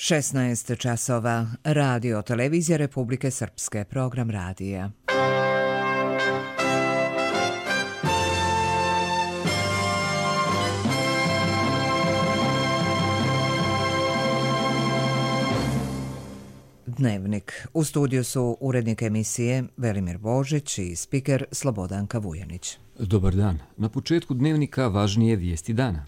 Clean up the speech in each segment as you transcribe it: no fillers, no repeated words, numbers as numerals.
16 časova. Radio Televizija Republike Srpske. Program radija. Dnevnik. U studiju su urednik emisije Velimir Božić i spiker Slobodanka Vujanić. Dobar dan. Na početku dnevnika važnije vijesti dana.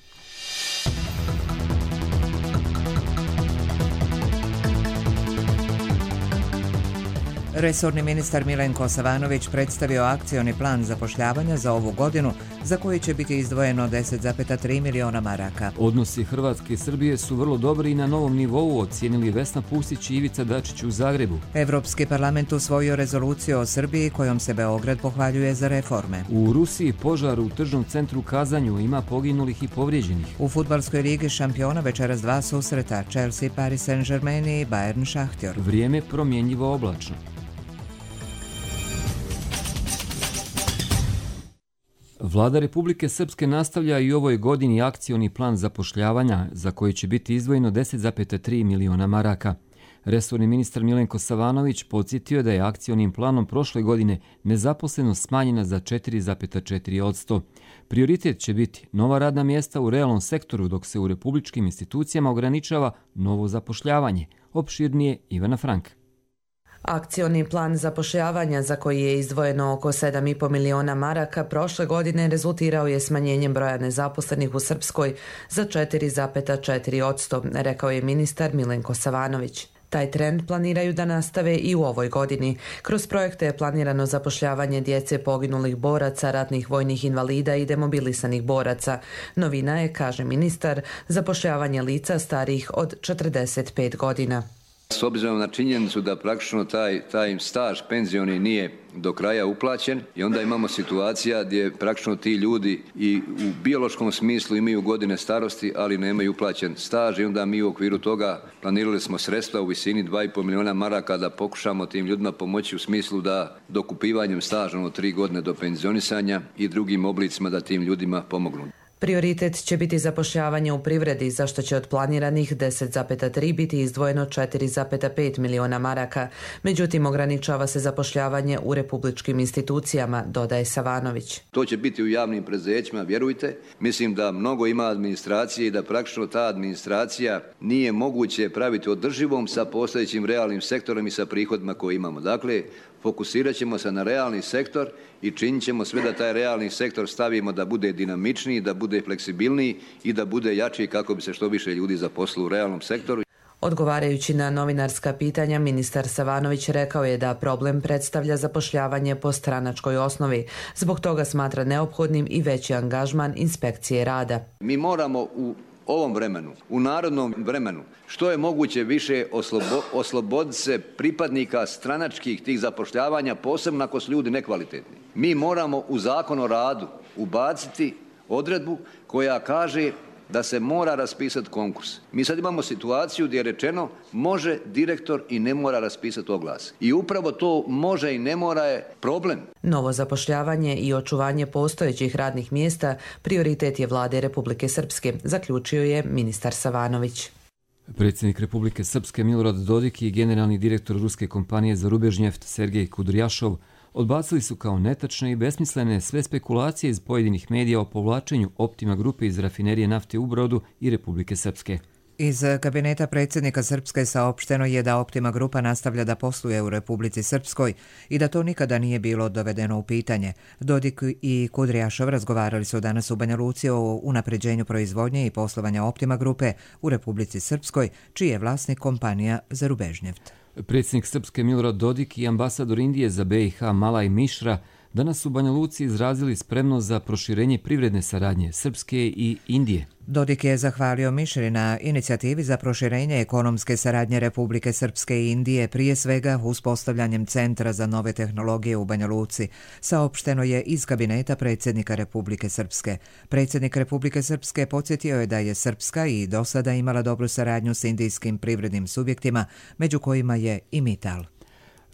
Resorni ministar Milenko Savanović predstavio akcioni plan zapošljavanja za ovu godinu, za koji će biti izdvojeno 10,3 miliona maraka. Odnosi Hrvatske i Srbije su vrlo dobri i na novom nivou, ocijenili Vesna Pusić i Ivica Dačić u Zagrebu. Evropski parlament usvojio rezoluciju o Srbiji kojom se Beograd pohvaljuje za reforme. U Rusiji požar u tržnom centru u Kazanju, ima poginulih i povrijeđenih. U fudbalskoj ligi šampiona večeras dva susreta, Chelsea, Paris Saint-Germain i Bayern Šahtjor. Vrijeme promjenjivo oblačno. Vlada Republike Srpske nastavlja i u ovoj godini akcioni plan zapošljavanja za koji će biti izdvojeno 10,3 miliona maraka. Resorni ministar Milenko Savanović podsjetio da je akcionim planom prošle godine nezaposlenost smanjena za 4,4%. Prioritet će biti nova radna mjesta u realnom sektoru, dok se u republičkim institucijama ograničava novo zapošljavanje. Opširnije Ivana Frank. Akcioni plan zapošljavanja za koji je izdvojeno oko 7,5 miliona maraka prošle godine rezultirao je smanjenjem broja nezaposlenih u Srpskoj za 4,4%, rekao je ministar Milenko Savanović. Taj trend planiraju da nastave i u ovoj godini. Kroz projekte je planirano zapošljavanje djece poginulih boraca, ratnih vojnih invalida i demobilisanih boraca. Novina je, kaže ministar, zapošljavanje lica starijih od 45 godina. S obzirom na činjenicu da praktično taj im staž penzioni nije do kraja uplaćen i onda imamo situacija gdje praktično ti ljudi i u biološkom smislu imaju godine starosti, ali nemaju uplaćen staž i onda mi u okviru toga planirali smo sredstva u visini 2,5 miliona maraka da pokušamo tim ljudima pomoći u smislu da dokupivanjem staža od 3 godine do penzionisanja i drugim oblicima da tim ljudima pomognu. Prioritet će biti zapošljavanje u privredi, za što će od planiranih 10,3 biti izdvojeno 4,5 miliona maraka. Međutim, ograničava se zapošljavanje u republičkim institucijama, dodaje Savanović. To će biti u javnim preduzećima, vjerujte. Mislim da mnogo ima administracije i da praktično ta administracija nije moguće praviti održivom sa postojećim realnim sektorom i sa prihodima koje imamo. Dakle, fokusirat ćemo se na realni sektor i činit ćemo sve da taj realni sektor stavimo da bude dinamičniji, da bude fleksibilniji i da bude jači kako bi se što više ljudi zaposlilo u realnom sektoru. Odgovarajući na novinarska pitanja, ministar Savanović rekao je da problem predstavlja zapošljavanje po stranačkoj osnovi. Zbog toga smatra neophodnim i veći angažman inspekcije rada. Mi moramo u ovom vremenu, u narodnom vremenu, što je moguće više osloboditi se pripadnika stranačkih tih zapošljavanja, posebno ako su ljudi nekvalitetni. Mi moramo u Zakon o radu ubaciti odredbu koja kaže da se mora raspisati konkurs. Mi sad imamo situaciju gdje je rečeno može direktor i ne mora raspisati oglas. I upravo to može i ne mora je problem. Novo zapošljavanje i očuvanje postojećih radnih mjesta prioritet je Vlade Republike Srpske, zaključio je ministar Savanović. Predsjednik Republike Srpske Milorad Dodik i generalni direktor ruske kompanije za Rubežnjeft Sergej Kudrjašov odbacili su kao netačne i besmislene sve spekulacije iz pojedinih medija o povlačenju Optima grupe iz rafinerije nafte u Brodu i Republike Srpske. Iz kabineta predsjednika Srpske saopšteno je da Optima grupa nastavlja da posluje u Republici Srpskoj i da to nikada nije bilo dovedeno u pitanje. Dodik i Kudrjašov razgovarali su danas u Banja Luci o unapređenju proizvodnje i poslovanja Optima grupe u Republici Srpskoj, čiji je vlasnik kompanija za Rubežnjeft. Predsjednik Srpske Milorad Dodik i ambasador Indije za BiH Malaj Mišra danas u Banja Luci izrazili spremnost za proširenje privredne saradnje Srpske i Indije. Dodik je zahvalio Mišri na inicijativi za proširenje ekonomske saradnje Republike Srpske i Indije, prije svega uspostavljanjem Centra za nove tehnologije u Banja Luci, saopšteno je iz kabineta predsjednika Republike Srpske. Predsjednik Republike Srpske podsjetio je da je Srpska i do sada imala dobru saradnju s indijskim privrednim subjektima, među kojima je i Mittal.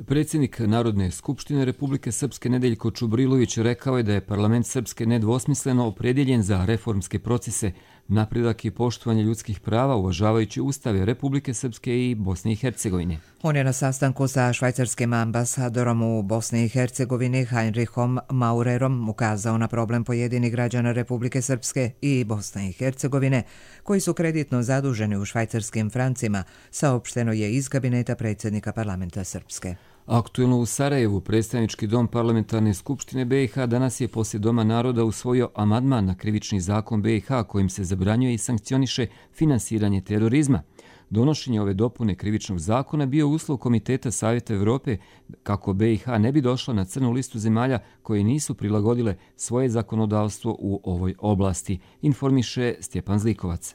Predsjednik Narodne skupštine Republike Srpske Nedeljko Čubrilović rekao je da je parlament Srpske nedvosmisleno opredjeljen za reformske procese, napredak i poštovanje ljudskih prava uvažavajući ustave Republike Srpske i Bosne i Hercegovine. On je na sastanku sa švajcarskim ambasadorom u Bosni i Hercegovini Heinrichom Maurerom ukazao na problem pojedinih građana Republike Srpske i Bosne i Hercegovine koji su kreditno zaduženi u švajcarskim francima, saopšteno je iz kabineta predsjednika parlamenta Srpske. Aktuelno u Sarajevu, predstavnički dom parlamentarne skupštine BiH danas je poslije Doma naroda usvojio amandman na krivični zakon BiH kojim se zabranjuje i sankcioniše finansiranje terorizma. Donošenje ove dopune krivičnog zakona bio uslov Komiteta Savjeta Evrope kako BiH ne bi došla na crnu listu zemalja koje nisu prilagodile svoje zakonodavstvo u ovoj oblasti, informiše Stjepan Zlikovac.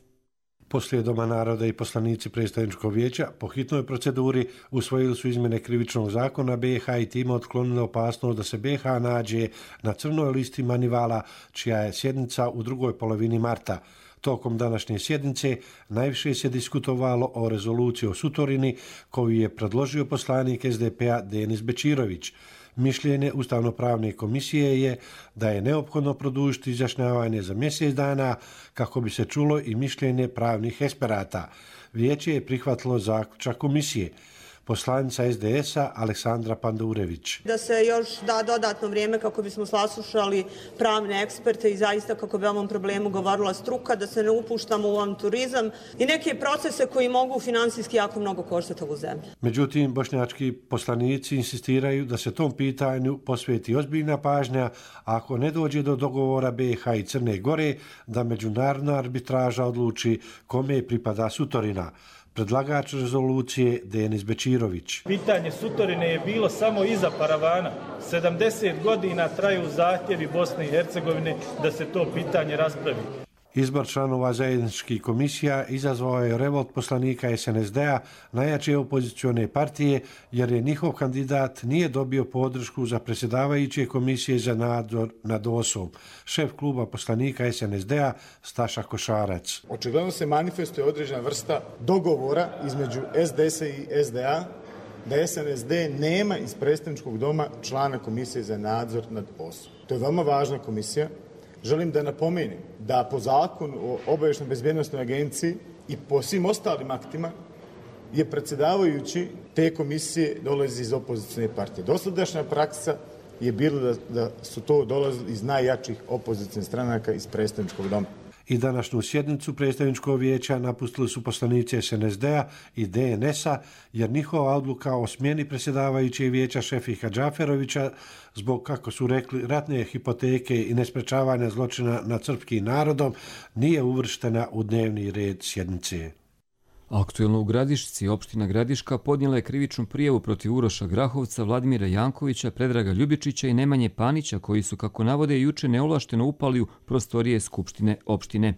Poslije Doma naroda i poslanici predstavničkog vijeća po hitnoj proceduri usvojili su izmjene krivičnog zakona BiH i time otklonili opasnost da se BiH nađe na crnoj listi Manivala, čija je sjednica u drugoj polovini marta. Tokom današnje sjednice najviše se diskutovalo o rezoluciji o Sutorini koju je predložio poslanik SDP-a Denis Bečirović. Mišljenje Ustavno-pravne komisije je da je neophodno produžiti izjašnjavanje za mjesec dana kako bi se čulo i mišljenje pravnih eksperata. Vijeće je prihvatilo zaključak komisije. Poslanica SDS-a Aleksandra Pandurević. Da se još da dodatno vrijeme kako bismo saslušali pravne eksperte i zaista kako bi o ovom problemu govorila struka, da se ne upuštamo u avanturizam i neke procese koji mogu finansijski jako mnogo koštati ovu zemlju. Međutim, bošnjački poslanici insistiraju da se tom pitanju posveti ozbiljna pažnja, a ako ne dođe do dogovora BiH i Crne Gore, da međunarodna arbitraža odluči kome pripada Sutorina. Predlagač rezolucije Denis Bečirović. Pitanje Sutorine je bilo samo iza paravana. 70 godina traju zahtjevi Bosne i Hercegovine da se to pitanje raspravi. Izbor članova zajedničkih komisija izazvao je revolt poslanika SNSD-a, najjače opozicione partije, jer je njihov kandidat nije dobio podršku za predsjedavajuće komisije za nadzor nad OSOM. Šef kluba poslanika SNSD-a Staša Košarac. Očigledno se manifestuje određena vrsta dogovora između SDS-a i SDA da SNSD nema iz predstavničkog doma člana komisije za nadzor nad OSOM. To je veoma važna komisija. Želim da napomenem da po zakonu o obavještajnoj bezbjednosnoj agenciji i po svim ostalim aktima je predsjedavajući te komisije dolazi iz opozicijne partije. Dosadašnja praksa je bila da su to dolazili iz najjačih opozicijnih stranaka iz predstavničkog doma. I današnju sjednicu predstavničkog vijeća napustili su poslanici SNSD-a i DNS-a, jer njihova odluka o smjeni predsjedavajućeg vijeća Šefika Džaferovića zbog, kako su rekli, ratne hipoteke i nesprečavanja zločina nad srpskim narodom nije uvrštena u dnevni red sjednice. Aktuelno u Gradišci, opština Gradiška podnijela je krivičnu prijavu protiv Uroša Grahovca, Vladimira Jankovića, Predraga Ljubičića i Nemanje Panića, koji su, kako navode, juče neovlašteno upali u prostorije Skupštine opštine.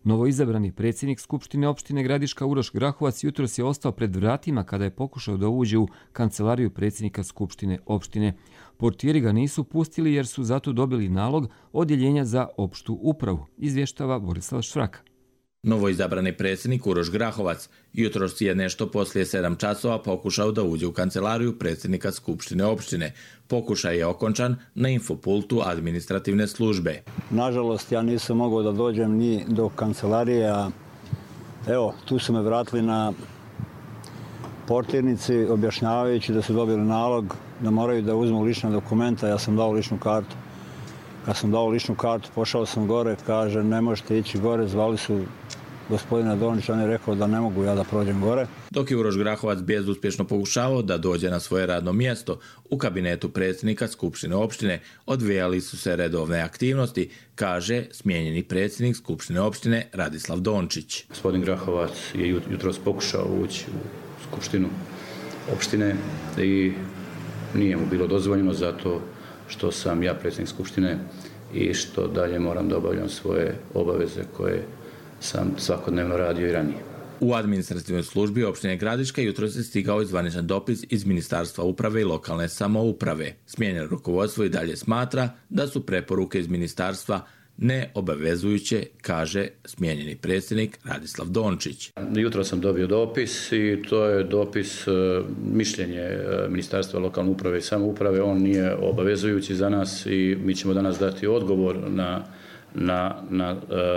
Novoizabrani predsjednik Skupštine opštine Gradiška Uroš Grahovac jutros je ostao pred vratima kada je pokušao da uđe u kancelariju predsjednika Skupštine opštine. Portiri ga nisu pustili jer su zato dobili nalog Odjeljenja za opštu upravu, izvještava Borislav Švraka. Novoizabrani predsjednik Uroš Grahovac jutros je nešto poslije 7 časova pokušao da uđe u kancelariju predsjednika Skupštine opštine. Pokušaj je okončan na infopultu administrativne službe. Nažalost, ja nisam mogao da dođem ni do kancelarije. Evo, tu su me vratili na portirnici objašnjavajući da su dobili nalog da moraju da uzmu lična dokumenta. Ja sam dao ličnu kartu. Kad sam dao ličnu kartu, pošao sam gore, kaže ne možete ići gore, zvali su gospodina Donića, on je rekao da ne mogu ja da prođem gore. Dok je Uroš Grahovac bezuspješno pokušavao da dođe na svoje radno mjesto, u kabinetu predsjednika Skupštine opštine odvijali su se redovne aktivnosti, kaže smijenjeni predsjednik Skupštine opštine Radislav Dončić. Gospodin Grahovac je jutros pokušao ući u Skupštinu opštine i nije mu bilo dozvoljeno zato što sam ja predsjednik Skupštine i što dalje moram da obavljam svoje obaveze koje sam svakodnevno radio i ranije. U administrativnoj službi opštine Gradiška jutros je stigao zvaničan dopis iz Ministarstva uprave i lokalne samouprave. Smijenjeno rukovodstvo i dalje smatra da su preporuke iz ministarstva neobavezujuće, kaže smijenjeni predsjednik Radislav Dončić. Jutro sam dobio dopis i to je dopis mišljenje Ministarstva lokalne uprave i samouprave. On nije obavezujući za nas i mi ćemo danas dati odgovor na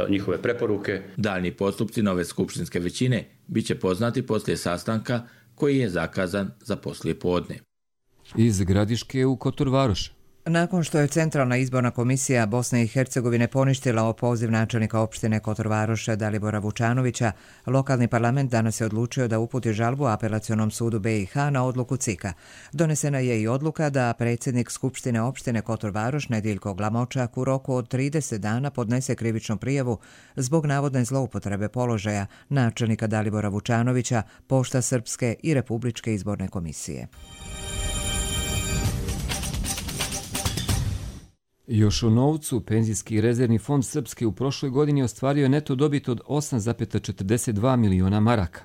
njihove preporuke. Daljni postupci nove skupštinske većine bit će poznati poslije sastanka koji je zakazan za poslijepodne. Iz Gradiške u Kotor Varoš. Nakon što je Centralna izborna komisija Bosne i Hercegovine poništila opoziv načelnika opštine Kotor Varoša Dalibora Vučanovića, lokalni parlament danas je odlučio da uputi žalbu Apelacionom sudu BiH na odluku CIK-a. Donesena je i odluka da predsjednik Skupštine opštine Kotor Varoš Nediljko Glamočak u roku od 30 dana podnese krivičnu prijavu zbog navodne zloupotrebe položaja načelnika Dalibora Vučanovića, Pošta Srpske i Republičke izborne komisije. Još u novcu, Penzijski rezervni fond Srpske u prošloj godini ostvario je neto dobit od 8,42 miliona maraka.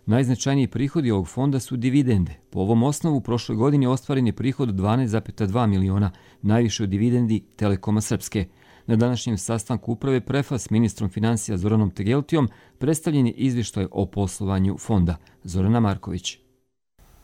Najznačajniji prihodi ovog fonda su dividende. Po ovom osnovu u prošloj godini ostvaren je prihod od 12,2 miliona, najviše od dividendi Telekoma Srpske. Na današnjem sastanku uprave Prefa s ministrom financija Zoranom Tegeltijom predstavljen je izvještaj o poslovanju fonda. Zorana Marković.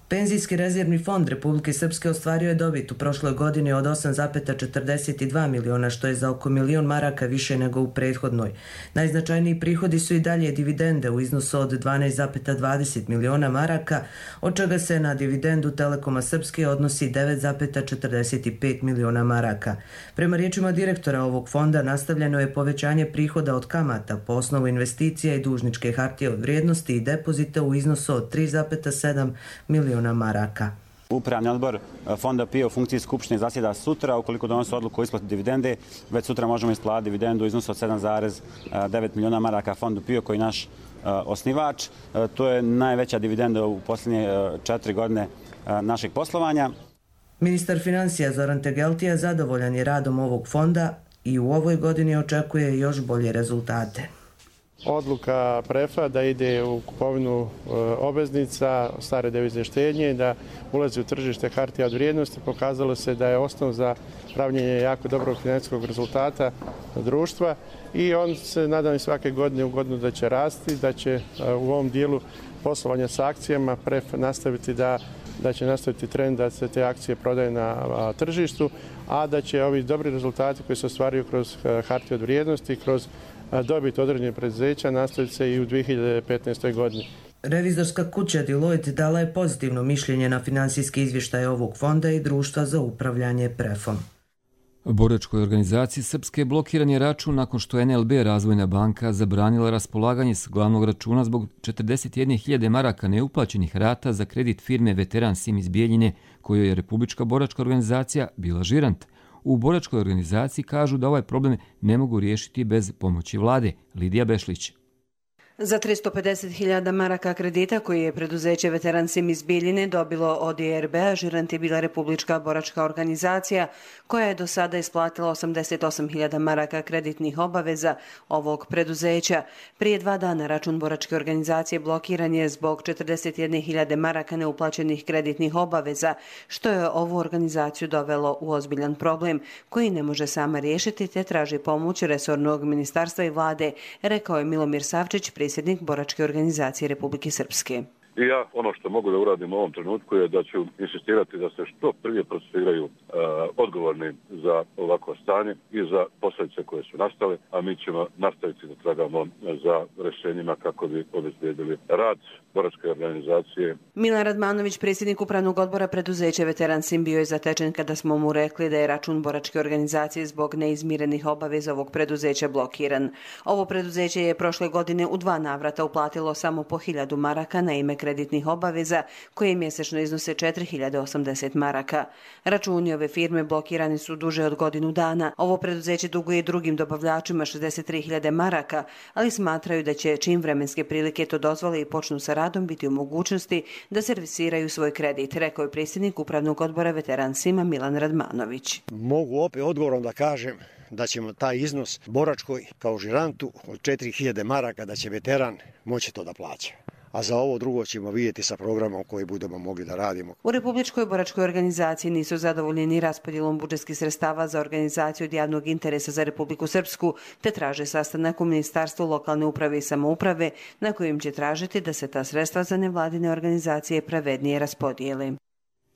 Penzijski rezervni fond Republike Srpske ostvario je dobit u prošloj godini od 8,42 miliona, što je za oko milion maraka više nego u prethodnoj. Najznačajniji prihodi su i dalje dividende u iznosu od 12,20 miliona maraka, od čega se na dividendu Telekoma Srpske odnosi 9,45 miliona maraka. Prema riječima direktora ovog fonda nastavljeno je povećanje prihoda od kamata po osnovu investicija i dužničke hartije od vrijednosti i depozita u iznosu od 3,7 miliona maraka. Upravni odbor fonda PIO u funkciji Skupštine zasjeda sutra. Ukoliko donosi odluku o isplati dividende, već sutra možemo isplatiti dividendu u iznosu od 7,9 miliona maraka fondu PIO koji je naš osnivač. To je najveća dividenda u posljednje 4 godine našeg poslovanja. Ministar financija Zoran Tegeltija zadovoljan je radom ovog fonda i u ovoj godini očekuje još bolje rezultate. Odluka Prefa da ide u kupovinu obveznica, stare devizne štednje, da ulazi u tržište hartija od vrijednosti, pokazalo se da je osnov za pravljenje jako dobrog financijskog rezultata društva i on se nadam svake godine u godinu da će rasti, da će u ovom dijelu poslovanja sa akcijama Pref nastaviti da će nastaviti trend da se te akcije prodaju na tržištu, a da će ovi dobri rezultati koji se ostvaruju kroz hartije od vrijednosti, kroz dobit određenih preduzeća nastaviti se i u 2015. godini. Revizorska kuća Deloitte dala je pozitivno mišljenje na finansijski izvještaj ovog fonda i društva za upravljanje Prefom. Boračkoj organizaciji Srpske blokiran je račun nakon što NLB Razvojna banka zabranila raspolaganje s glavnog računa zbog 41.000 maraka neuplaćenih rata za kredit firme Veteran Sim iz Bijeljine, kojoj je Republička boračka organizacija bila žirant. U boračkoj organizaciji kažu da ovaj problem ne mogu riješiti bez pomoći vlade. Lidija Bešlić. Za 350.000 maraka kredita koji je preduzeće Veteran Sim iz Bijeljine dobilo od IRB-a, žirant je bila Republička boračka organizacija koja je do sada isplatila 88.000 maraka kreditnih obaveza ovog preduzeća. Prije 2 dana račun boračke organizacije blokiran je zbog 41.000 maraka neuplaćenih kreditnih obaveza, što je ovu organizaciju dovelo u ozbiljan problem koji ne može sama riješiti te traži pomoć resornog ministarstva i vlade, rekao je Milomir Savčić, predsjednik boračke organizacije Republike Srpske. I ja ono što mogu da uradim u ovom trenutku je da ću insistirati da se što prije procesuiraju odgovorni za ovako stanje i za posljedice koje su nastale, a mi ćemo nastaviti da tragamo za rješenjima kako bi obezbijedili rad boračke organizacije. Milan Radmanović, predsjednik upravnog odbora preduzeća Veteran Sim, bio je zatečen kada smo mu rekli da je račun boračke organizacije zbog neizmirenih obaveza ovog preduzeća blokiran. Ovo preduzeće je prošle godine u 2 navrata uplatilo samo po 1000 maraka na ime kreditnih obaveza koje mjesečno iznose 4.080 maraka. Računi ove firme blokirani su duže od godinu dana. Ovo preduzeće duguje drugim dobavljačima 63.000 maraka, ali smatraju da će čim vremenske prilike to dozvole i počnu sa radom biti u mogućnosti da servisiraju svoj kredit, rekao je predsjednik upravnog odbora Veteran Sima Milan Radmanović. Mogu opet odgovorom da kažem da ćemo taj iznos boračkoj kao žirantu od 4.000 maraka da će veteran moći to da plaća. A za ovo drugo ćemo vidjeti sa programom koji budemo mogli da radimo. U Republičkoj boračkoj organizaciji nisu zadovoljni ni raspodjelom budžetskih sredstava za organizaciju od javnog interesa za Republiku Srpsku, te traže sastanak u Ministarstvu lokalne uprave i samouprave na kojim će tražiti da se ta sredstva za nevladine organizacije pravednije raspodijele.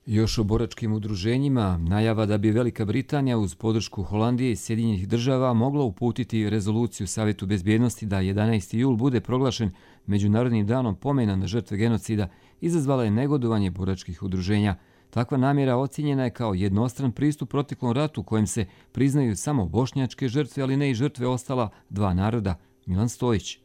Još o boračkim udruženjima, najava da bi Velika Britanija uz podršku Holandije i Sjedinjenih država mogla uputiti rezoluciju Savjetu bezbjednosti da 11. jul bude proglašen Međunarodnim danom pomena na žrtve genocida, izazvala je negodovanje boračkih udruženja. Takva namjera ocjenjena je kao jednostran pristup proteklom ratu kojem se priznaju samo bošnjačke žrtve, ali ne i žrtve ostala dva naroda. Milan Stojić.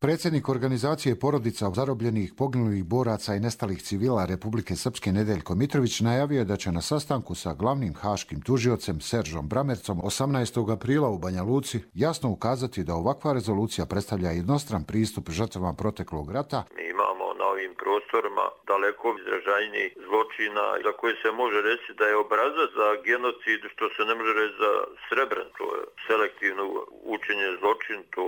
Predsjednik organizacije porodica zarobljenih, poginulih boraca i nestalih civila Republike Srpske Nedeljko Mitrović najavio je da će na sastanku sa glavnim haškim tužiocem Seržom Bramercom 18. aprila u Banja Luci jasno ukazati da ovakva rezolucija predstavlja jednostran pristup žrtvama proteklog rata. Mi imamo na ovim prostorima daleko izražajniji zločina za koje se može reći da je obrazac za genocid, što se ne može reći za Srebrencu. Selektivno učenje zločin, to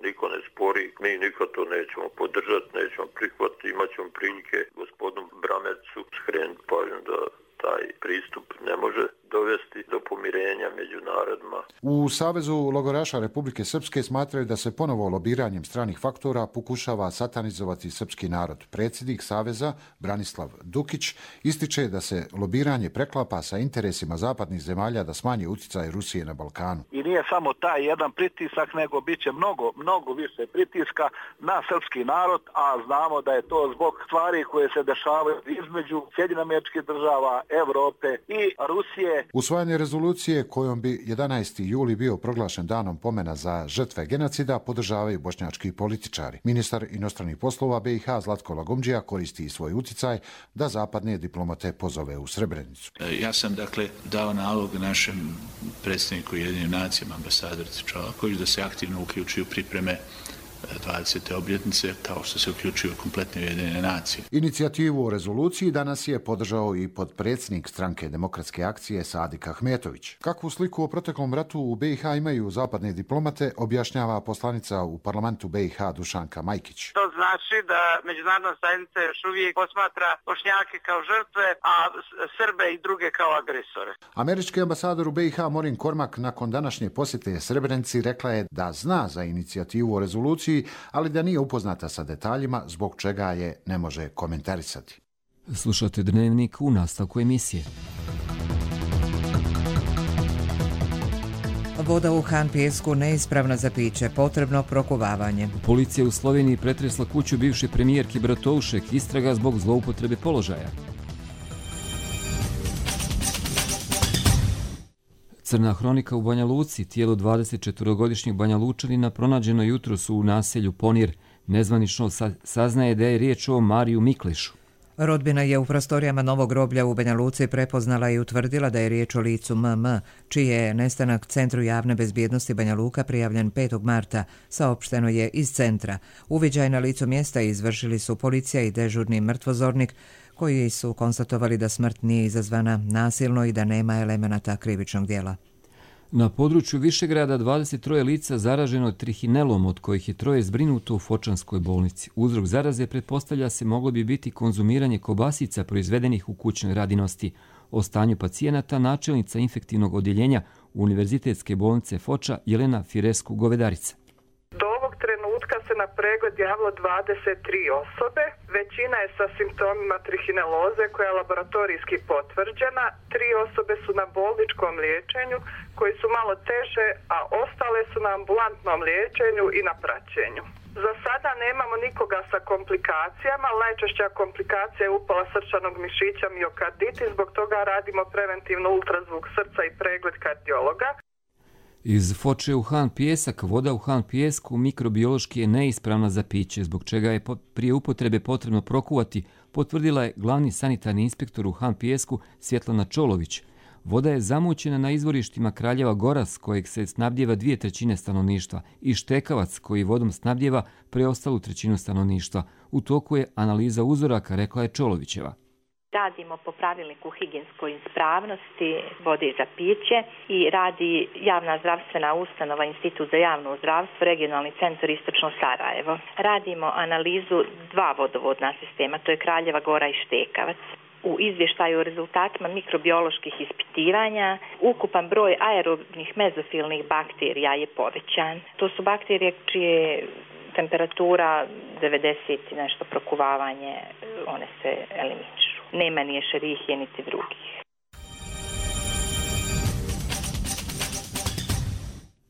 niko ne spori, mi nikad to nećemo podržati, nećemo prihvatiti, imat ćemo prilike gospodinu Bramercu skrenuti pažnju da taj pristup ne može dovesti do pomirenja među narodima. U Savezu logoraša Republike Srpske smatraju da se ponovo lobiranjem stranih faktora pokušava satanizovati srpski narod. Predsjednik Saveza Branislav Dukić ističe da se lobiranje preklapa sa interesima zapadnih zemalja da smanji utjecaj Rusije na Balkanu. I nije samo taj jedan pritisak, nego bit će mnogo više pritiska na srpski narod, a znamo da je to zbog stvari koje se dešavaju između Sjedinjenih Američkih Država, Evrope i Rusije. Usvajanje rezolucije kojom bi 11. juli bio proglašen danom pomena za žrtve genocida podržavaju bošnjački političari. Ministar inostranih poslova BiH Zlatko Lagumdžija koristi svoj utjecaj da zapadne diplomate pozove u Srebrenicu. Ja sam dao nalog našem predsjedniku Ujedinjenim nacijama, ambasadorici Čolaković, da se aktivno uključi u pripreme 20. obljetnice, kao što se uključuju kompletne Ujedinjene nacije. Inicijativu o rezoluciji danas je podržao i potpredsjednik Stranke demokratske akcije Sadik Ahmetović. Kakvu sliku o proteklom ratu u BiH imaju zapadne diplomate, objašnjava poslanica u parlamentu BiH Dušanka Majkić. To znači da međunarodna zajednica još uvijek posmatra Bošnjake kao žrtve, a Srbe i druge kao agresore. Američki ambasador u BiH Morin Kormak nakon današnje posjete Srebrenici rekla je da zna za inicijativu o rezoluciji, ali da nije upoznata sa detaljima, zbog čega je ne može komentarisati. Slušate Dnevnik u nastavku emisije. Voda u Han Pijesku neispravna za piće, potrebno prokuvavanje. Policija u Sloveniji pretresla kuću bivše premijerke Bratovšek, istraga zbog zloupotrebe položaja. Crna hronika u Banja Luci, tijelo 24-godišnjeg Banja Lučanina pronađeno jutros u naselju Ponir. Nezvanično saznaje da je riječ o Mariju Miklešu. Rodbina je u prostorijama novog groblja u Banja Luci prepoznala i utvrdila da je riječ o licu MM, čiji je nestanak Centru javne bezbjednosti Banja Luka prijavljen 5. marta, saopšteno je iz centra. Uviđaj na licu mjesta izvršili su policija i dežurni mrtvozornik, koji su konstatovali da smrt nije izazvana nasilno i da nema elemenata krivičnog djela. Na području Višegrada 23 lica zaraženo trihinelom, od kojih je 3 zbrinuto u Fočanskoj bolnici. Uzrok zaraze pretpostavlja se moglo bi biti konzumiranje kobasica proizvedenih u kućnoj radinosti. O stanju pacijenata načelnica infektivnog odjeljenja Univerzitetske bolnice Foča Jelena Firesku-Govedarica. Do ovog trenutka se na pregled javilo 23 osobe. Većina je sa simptomima trihineloze koja je laboratorijski potvrđena. 3 osobe su na bolničkom liječenju koji su malo teže, a ostale su na ambulantnom liječenju i na praćenju. Za sada nemamo nikoga sa komplikacijama. Najčešća komplikacija je upala srčanog mišića miokarditis, zbog toga radimo preventivno ultrazvuk srca i pregled kardiologa. Iz Foče u Han Pijesak, voda u Han Pijesku mikrobiološki je neispravna za piće, zbog čega je prije upotrebe potrebno prokuvati, potvrdila je glavni sanitarni inspektor u Han Pijesku Svjetlana Čolović. Voda je zamućena na izvorištima Kraljeva Goras, kojeg se snabdjeva 2/3 stanovništva, i Štekavac, koji vodom snabdjeva preostalu 1/3 stanovništva. U toku je analiza uzoraka, rekla je Čolovićeva. Radimo po pravilniku higijenskoj ispravnosti vode za piće i radi javna zdravstvena ustanova Institut za javno zdravstvo, regionalni centar Istočno Sarajevo. Radimo analizu 2 vodovodna sistema, to je Kraljeva Gora i Štekavac. U izvještaju o rezultatima mikrobioloških ispitivanja ukupan broj aerobnih mezofilnih bakterija je povećan. To su bakterije čije temperatura 90 i nešto prokuvavanje, one se eliminišu. nema ni Ešerihije niti drugih.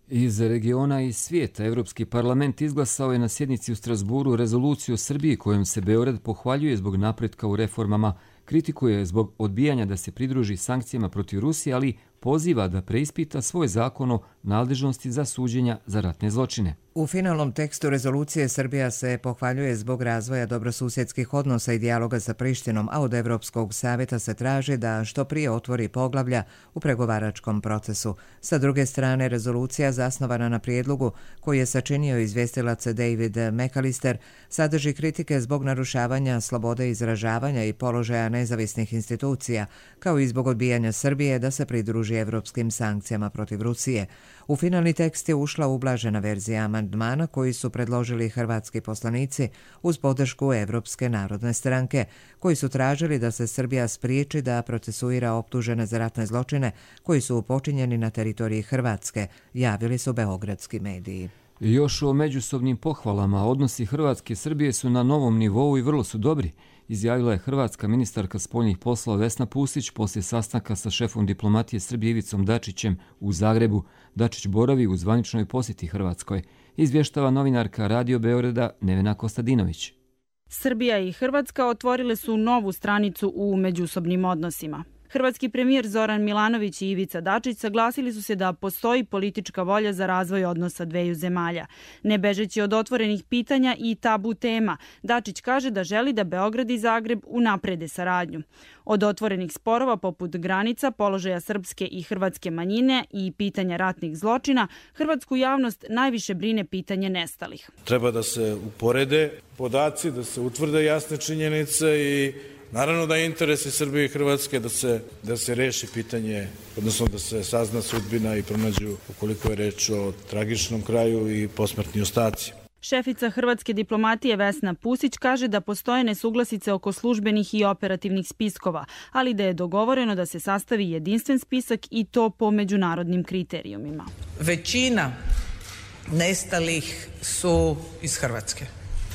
Iz regiona i svijeta Europski parlament izglasao je na sjednici u Strasburu rezoluciju o Srbiji kojom se Beograd pohvaljuje zbog napretka u reformama, kritikuje zbog odbijanja da se pridruži sankcijama protiv Rusije, ali poziva da preispita svoj zakon o nadležnosti za suđenja za ratne zločine. U finalnom tekstu rezolucije Srbija se pohvaljuje zbog razvoja dobrosusjedskih odnosa i dijaloga sa Prištinom, a od Evropskog savjeta se traži da što prije otvori poglavlja u pregovaračkom procesu. Sa druge strane, rezolucija zasnovana na prijedlogu koji je sačinio izvjestilac David McAllister sadrži kritike zbog narušavanja slobode izražavanja i položaja nezavisnih institucija, kao i zbog odbijanja Srbije da se pridruži evropskim sankcijama protiv Rusije. U finalni tekst je ušla ublažena verzija amandmana koji su predložili hrvatski poslanici uz podršku Evropske narodne stranke, koji su tražili da se Srbija spriječi da procesuira optužene za ratne zločine koji su počinjeni na teritoriji Hrvatske, javili su beogradski mediji. Još o međusobnim pohvalama, odnosi Hrvatske i Srbije su na novom nivou i vrlo su dobri, izjavila je hrvatska ministarka spoljnih poslova Vesna Pusić poslije sastanka sa šefom diplomatije Srbije Ivicom Dačićem u Zagrebu. Dačić boravi u zvaničnoj posjeti Hrvatskoj. Izvještava novinarka Radio Beograda Nevena Kostadinović. Srbija i Hrvatska otvorile su novu stranicu u međusobnim odnosima. Hrvatski premijer Zoran Milanović i Ivica Dačić saglasili su se da postoji politička volja za razvoj odnosa dveju zemalja. Ne bežeći od otvorenih pitanja i tabu tema, Dačić kaže da želi da Beograd i Zagreb unaprede saradnju. Od otvorenih sporova poput granica, položaja srpske i hrvatske manjine i pitanja ratnih zločina, hrvatsku javnost najviše brine pitanje nestalih. Treba da se uporede podaci, da se utvrde jasne činjenice i naravno da je interes i Srbije i Hrvatske da se reši pitanje, odnosno da se sazna sudbina i pronađu, ukoliko je reč o tragičnom kraju, i posmrtni ostaci. Šefica hrvatske diplomatije Vesna Pusić kaže da postoje nesuglasice oko službenih i operativnih spiskova, ali da je dogovoreno da se sastavi jedinstven spisak i to po međunarodnim kriterijumima. Većina nestalih su iz Hrvatske.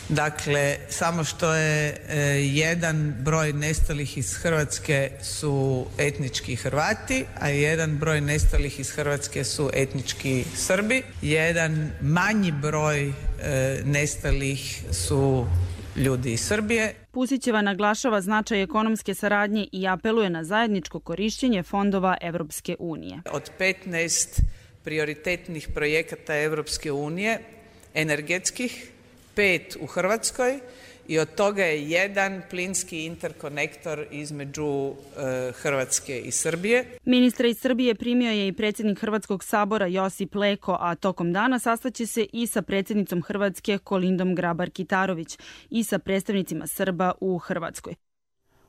Dakle, samo što je jedan broj nestalih iz Hrvatske su etnički Hrvati, a jedan broj nestalih iz Hrvatske su etnički Srbi. Jedan manji broj nestalih su ljudi iz Srbije. Pusićeva naglašava značaj ekonomske saradnje i apeluje na zajedničko korišćenje fondova Evropske unije. Od 15 prioritetnih projekata Evropske unije, energetskih, 5 u Hrvatskoj i od toga je jedan plinski interkonektor između Hrvatske i Srbije. Ministra iz Srbije primio je i predsjednik Hrvatskog sabora Josip Leko, a tokom dana sastaće se i sa predsjednicom Hrvatske Kolindom Grabar-Kitarović i sa predstavnicima Srba u Hrvatskoj.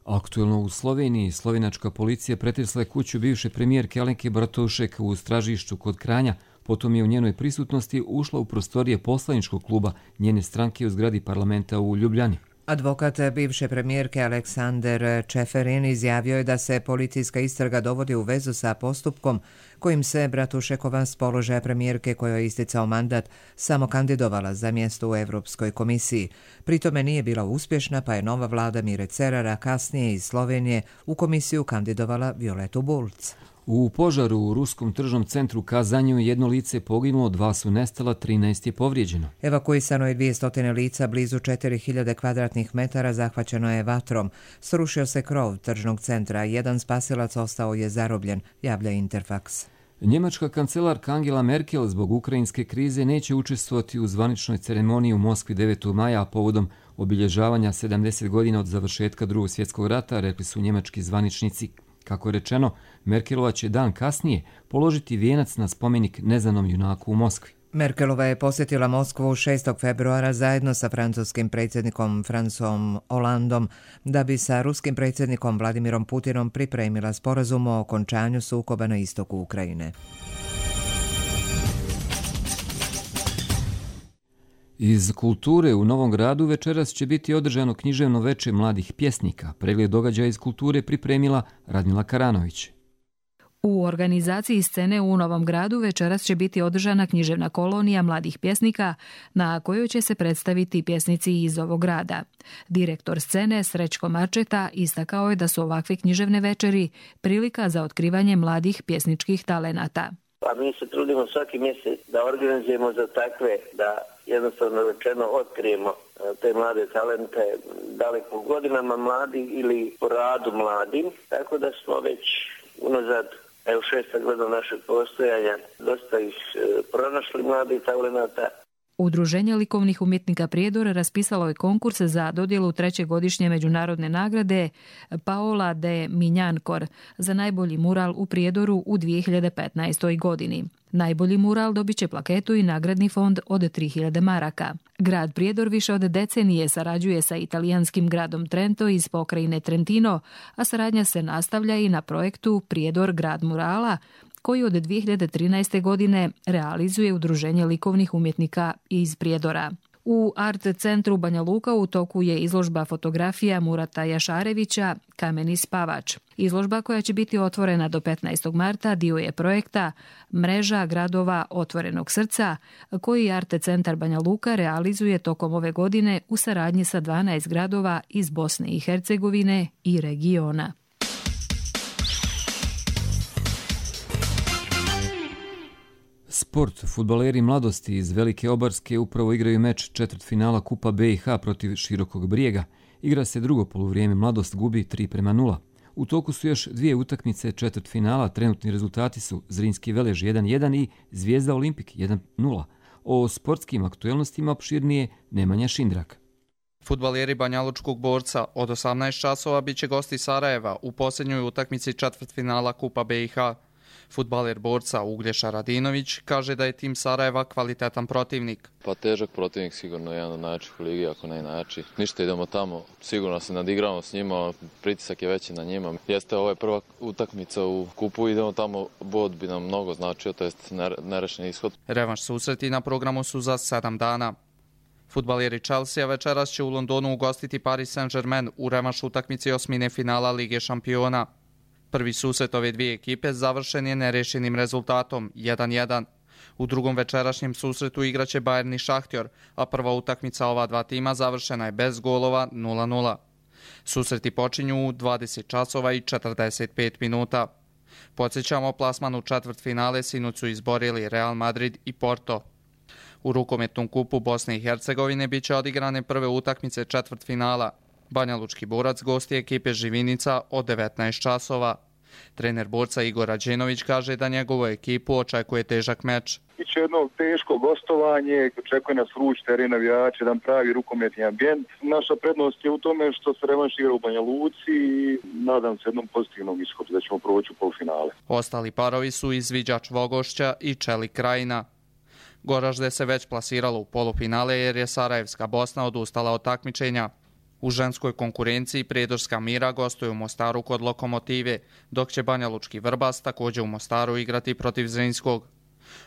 Aktuelno u Sloveniji, slovenačka policija pretresla je kuću bivše premijerke Alenke Bratušek u Stražišću kod Kranja. Potom je u njenoj prisutnosti ušla u prostorije poslaničkog kluba njene stranke u zgradi parlamenta u Ljubljani. Advokat bivše premijerke Aleksander Čeferin izjavio je da se policijska istraga dovodi u vezu sa postupkom kojim se Bratušekova s položaja premijerke kojoj je isticao mandat samo kandidovala za mjesto u Europskoj komisiji. Pritome nije bila uspješna, pa je nova vlada Mire Cerara kasnije iz Slovenije u komisiju kandidovala Violetu Bulc. U požaru u ruskom tržnom centru Kazanju jedno lice je poginulo, 2 su nestala, 13 je povrijeđeno. Evakuisano je 200 lica, blizu 4000 kvadratnih metara zahvaćeno je vatrom. Srušio se krov tržnog centra, jedan spasilac ostao je zarobljen, javlja Interfax. Njemačka kancelarka Angela Merkel zbog ukrajinske krize neće učestvovati u zvaničnoj ceremoniji u Moskvi 9. maja povodom obilježavanja 70 godina od završetka Drugog svjetskog rata, rekli su njemački zvaničnici. Kako je rečeno, Merkelova će dan kasnije položiti vijenac na spomenik neznanom junaku u Moskvi. Merkelova je posjetila Moskvu 6. februara zajedno sa francuskim predsjednikom François Hollandom da bi sa ruskim predsjednikom Vladimirom Putinom pripremila sporazum o okončanju sukoba na istoku Ukrajine. Iz kulture u Novom Gradu večeras će biti održano književno veče mladih pjesnika. Pregled događaja iz kulture pripremila Radmila Karanović. U organizaciji scene u Novom Gradu večeras će biti održana književna kolonija mladih pjesnika na kojoj će se predstaviti pjesnici iz ovog grada. Direktor scene Srećko Marčeta istakao je da su ovakve književne večeri prilika za otkrivanje mladih pjesničkih talenata. A mi se trudimo svaki mjesec da organizujemo za takve, da jednostavno rečeno otkrijemo te mlade talente, da li po godinama mladi ili po radu mladim, tako da smo već unazad 6. godina našeg postojanja dosta ih pronašli mladih talenata. Udruženje likovnih umjetnika Prijedor raspisalo je konkurs za dodjelu 3. godišnje međunarodne nagrade Paola de Minjankor za najbolji mural u Prijedoru u 2015. godini. Najbolji mural dobit će plaketu i nagradni fond od 3000 maraka. Grad Prijedor više od decenije sarađuje sa italijanskim gradom Trento iz pokrajine Trentino, a saradnja se nastavlja i na projektu Prijedor grad murala, koji od 2013. godine realizuje Udruženje likovnih umjetnika iz Prijedora. U Art centru Banja Luka u toku je izložba fotografija Murata Jašarevića Kameni spavač. Izložba koja će biti otvorena do 15. marta dio je projekta Mreža gradova otvorenog srca, koji Art centar Banja Luka realizuje tokom ove godine u saradnji sa 12 gradova iz Bosne i Hercegovine i regiona. Sport. Fudbaleri mladosti iz Velike Obarske upravo igraju meč četvrtfinala Kupa BiH protiv Širokog Brijega. Igra se drugo poluvrijeme, mladost gubi 3:0. U toku su još dvije utakmice četvrtfinala, trenutni rezultati su Zrinski Velež 1:1 i Zvijezda Olimpik 1:0. O sportskim aktuelnostima opširnije Nemanja Šindrak. Fudbaleri Banjalučkog Borca od 18 časova biće gosti Sarajeva u posljednjoj utakmici četvrtfinala Kupa BiH. Fudbaler Borca Uglješa Radinović kaže da je tim Sarajeva kvalitetan protivnik. Pa težak protivnik, sigurno jedan od najjačih u ligi, ako ne i najjači. Ništa, idemo tamo, sigurno se nadigramo s njima, pritisak je veći na njima. Jeste ovo je prva utakmica u kupu, idemo tamo, bod bi nam mnogo značio, to jest nerešen ishod. Revanš susreti na programu su za 7 dana. Fudbaleri Chelsea večeras će u Londonu ugostiti Paris Saint-Germain u revanš utakmici osmine finala Lige šampiona. Prvi susret ove dvije ekipe završen je nerešenim rezultatom 1:1. U drugom večerašnjem susretu igraće Bayern i Šahtjor, a prva utakmica ova dva tima završena je bez golova 0:0. Susreti počinju u 20 časova i 45 minuta. Podsjećamo, plasman u četvrtfinale sinoć su izborili Real Madrid i Porto. U rukometnom kupu Bosne i Hercegovine biće odigrane prve utakmice četvrtfinala. Banjalučki Borac gosti ekipe Živinica od 19 časova. Trener Borca Igor Rađenović kaže da njegovu ekipu očekuje težak meč. Biće jedno teško gostovanje, očekuje nas vruć teren, navijači, jedan pravi rukometni ambijent. Naša prednost je u tome što se revanš igra u Banja Luci i nadam se jednom pozitivnom ishodu da ćemo proći u polufinale. Ostali parovi su Izviđač Vogošća i Čelik Krajina. Goražde se već plasiralo u polufinale jer je Sarajevska Bosna odustala od takmičenja. U ženskoj konkurenciji Prijedorska Mira gostuje u Mostaru kod Lokomotive, dok će Banjalučki Vrbas također u Mostaru igrati protiv Zrinskog.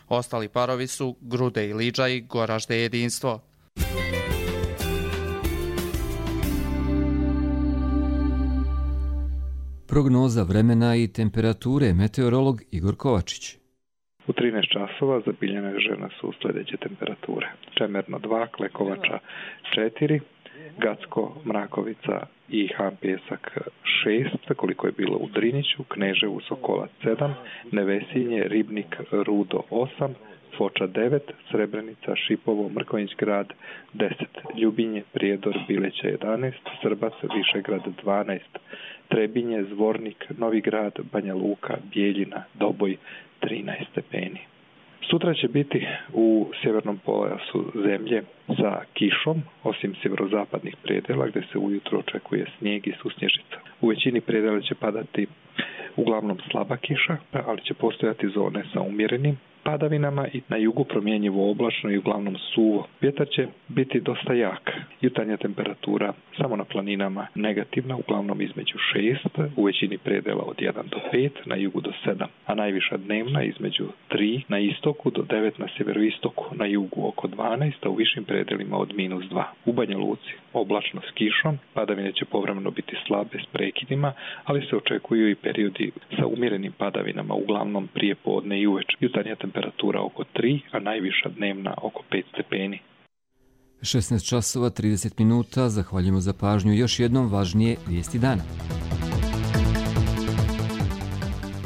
Ostali parovi su Grude i Liđa i Goražde Jedinstvo. Prognoza vremena i temperature, meteorolog Igor Kovačić. U 13 časova zabilježene su sljedeće temperature. Čemerno 2, Klekovača 4, Gacko, Mrakovica i Han Pjesak 6, koliko je bilo u Driniću, Kneževu, Sokolac 7, Nevesinje, Ribnik, Rudo 8, Foča 9, Srebrenica, Šipovo, Mrkonjić grad 10, Ljubinje, Prijedor, Bileća 11, Srbac, Višegrad 12, Trebinje, Zvornik, Novi grad, Banja Luka, Bijeljina, Doboj 13 stepeni. Sutra će biti u sjevernom pojasu zemlje sa kišom, osim sjeverozapadnih predjela gdje se ujutro očekuje snijeg i susnježica. U većini predjela će padati uglavnom slaba kiša, ali će postojati zone sa umjerenim padavinama i na jugu promjenjivo oblačno i uglavnom suvo. Vjetar će biti dosta jak. Jutarnja temperatura samo na planinama negativna, uglavnom između 6, u većini predela od 1 do 5, na jugu do 7, a najviša dnevna između 3 na istoku do 9 na sjeveroistoku, na jugu oko 12, a u višim predelima od -2. U Banja Luci oblačno s kišom, padavine će povremeno biti slabe s prekidima, ali se očekuju i periodi sa umjerenim padavinama, uglavnom prije podne i uveče. Jutarnja temperatura oko 3, a najviša dnevna oko 5 stepeni. 16 časova 30 minuta, zahvaljujemo za pažnju. Još jednom važnije vijesti dana.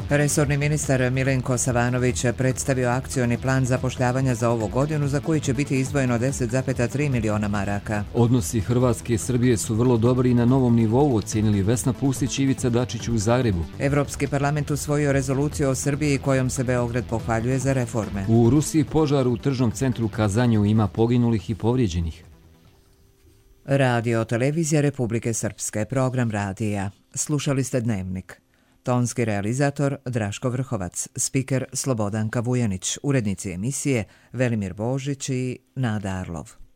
Resorni ministar Milenko Savanović predstavio akcioni plan zapošljavanja za ovu godinu za koji će biti izdvojeno 10,3 miliona maraka. Odnosi Hrvatske i Srbije su vrlo dobri i na novom nivou, ocijenili Vesna Pustić i Ivica Dačić u Zagrebu. Evropski parlament usvojio rezoluciju o Srbiji kojom se Beograd pohvaljuje za reforme. U Rusiji požar u tržnom centru Kazanju, ima poginulih i povrijeđenih. Radio televizija Republike Srpske, program radija. Slušali ste Dnevnik. Tonski realizator Draško Vrhovac, spiker Slobodanka Vujanić, urednici emisije Velimir Božić i Nada Arlov.